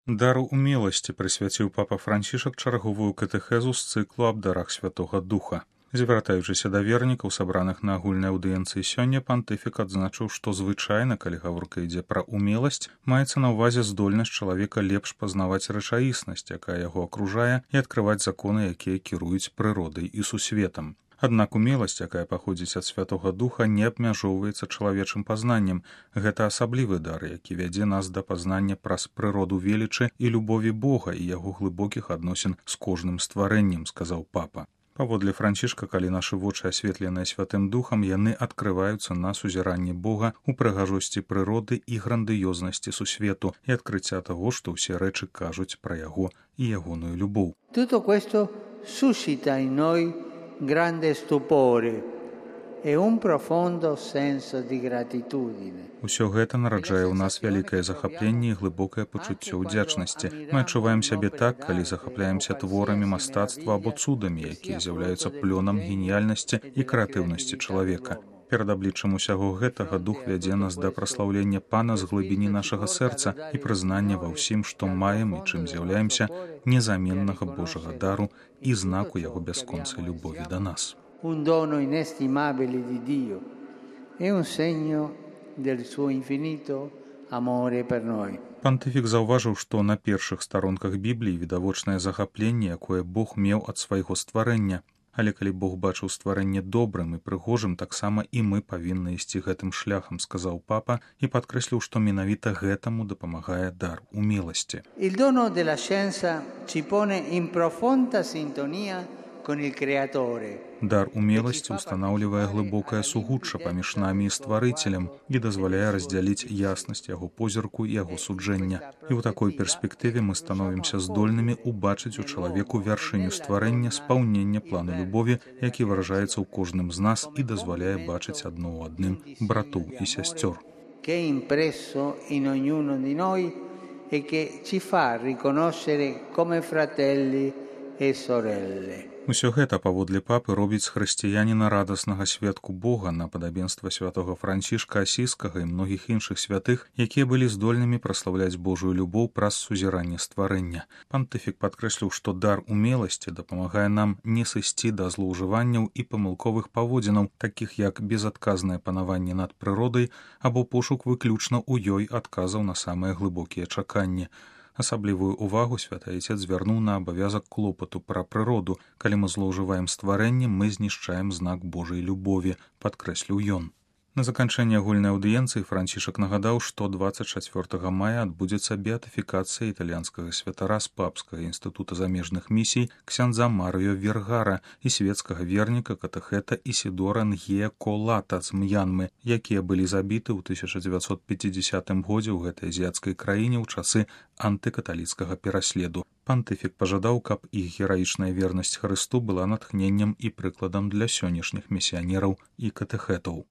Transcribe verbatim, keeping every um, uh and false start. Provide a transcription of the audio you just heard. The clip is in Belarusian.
Дару умеласці прысвяціў папа Францішак чарговую катэхезу з цыклу аб дарах Святога Духа. Звяртаючыся да вернікаў, сабраных на агульнай аўдыенцыі сёння, пантыфік адзначыў, што звычайна, калі гаворка ідзе пра умеласць, маецца на ўвазе здольнасць чалавека лепш пазнаваць рэчаіснасць, якая яго акружае, і адкрываць законы, якія кіруюць прыродай і сусветам. Аднак умеласць, якая паходзіць ад Святога Духа, не абмяжоўваецца чалавечым пазнаннем. Гэта асаблівы дар, які вядзе нас да пазнання праз прыроду велічы і любові Бога і яго глыбокіх адносін з кожным стварэннем, сказаў папа. Паводле Францішка, калі нашы вочы асветленыя Святым Духам, яны адкрываюцца на сузіранні Бога ў прыгажосці прыроды і грандыёзнасці сусвету і адкрыцця таго, што ўсе рэчы кажуць пра яго і ягоную любоў. Tutto questo suscita in noi grande stupore e un profondo senso di gratitudine. Усё гэта нараджае ў нас вялікае захапленне і глыбокае пачуццё ўдзячнасці. Мы адчуваем сябе так, калі захапляемся творамі мастацтва або цудамі, якія з'яўляюцца плёнам геніяльнасці і крэатыўнасці чалавека. Перад абліччам усяго гэтага дух вядзе нас да праслаўлення Пана з глыбіні нашага сэрца і прызнання ва ўсім, што маем і чым з'яўляемся, незаменнага Божага дару і знаку яго бясконцай любові да нас. Un dono inestimabile di Dio e un segno del suo infinito amore per noi. Пантыфік заўважыў, што на першых старонках Бібліі відавочнае захапленне, якое Бог меў ад свайго стварэння. Але калі Бог бачыў стварэнне добрым і прыгожым, таксама і мы павінны ісці гэтым шляхам, сказаў папа і падкрэсліў, што менавіта гэтаму дапамагае дар умеласці. Il dono della scienza ci pone in profonda sintonia con il creatore. Дар умеласці ўстанаўлівае глыбокае сугучча паміж намі і стварыцелем і дазваляе раздзяліць яснасць яго позірку і яго суджэння. І ў такой перспектыве мы становімся здольнымі ўбачыць у чалавеку вяршыню стварэння, спаўнення плану любові, які выражаецца ў кожным з нас і дазваляе бачыць адно ў адным братоў і сясцёр. Che è impresso in ognuno di noi e che ci fa riconoscere come fratelli e sorelle. Усё гэта, паводле папы, робіць з хрысціяніна радаснага сведку Бога на падабенства святога Францішка Асіскага і многіх іншых святых, якія былі здольнымі праслаўляць Божую любоў праз сузіранне стварэння. Пантыфік падкрэсліў, што дар умеласці дапамагае нам не сысці да злоўжыванняў і памылковых паводзінаў, такіх як безадказнае панаванне над прыродай або пошук выключна ў ёй адказаў на самыя глыбокія чаканні. Асаблівую ўвагу святы Айцец звярнуў на абавязак клопату пра прыроду. Калі мы злоўжываем стварэннем, мы знішчаем знак Божай любові, падкрэсліў ён. На заканчэнне агульнай аўдыенцыі Францішак нагадаў, што дваццаць чацвёртага мая адбудзецца беатыфікацыя італьянскага святара з папскага інстытута замежных місій ксяндза Марыё Вергара і свецкага верніка катэхета Ісідора Нгія Колата з М'янмы, якія былі забіты ў тысяча дзевяцьсот пяцідзясятым годзе ў гэтай азіяцкай краіне ў часы антыкаталіцкага пераследу. Пантыфік пажадаў, каб іх гераічная вернасць Хрысту была натхненнем і прыкладам для сённяшніх місіянераў і катэхетаў.